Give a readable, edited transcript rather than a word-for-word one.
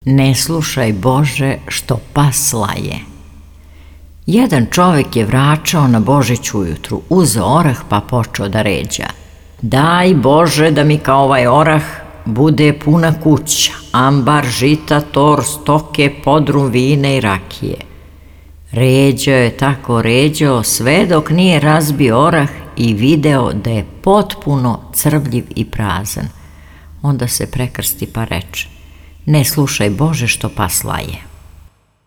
Ne slušaj Bože što pas laje. Jedan čovek je vračao na Božić ujutru, uzeo orah pa počeo da ređa. Daj Bože da mi kao ovaj orah bude puna kuća, ambar, žita, tor, stoke, podrum, vine i rakije. Ređao je tako ređao sve dok nije razbio orah i video da je potpuno crvljiv i prazan. Onda se prekrsti pa reče: ne slušaj Bože što pas laje.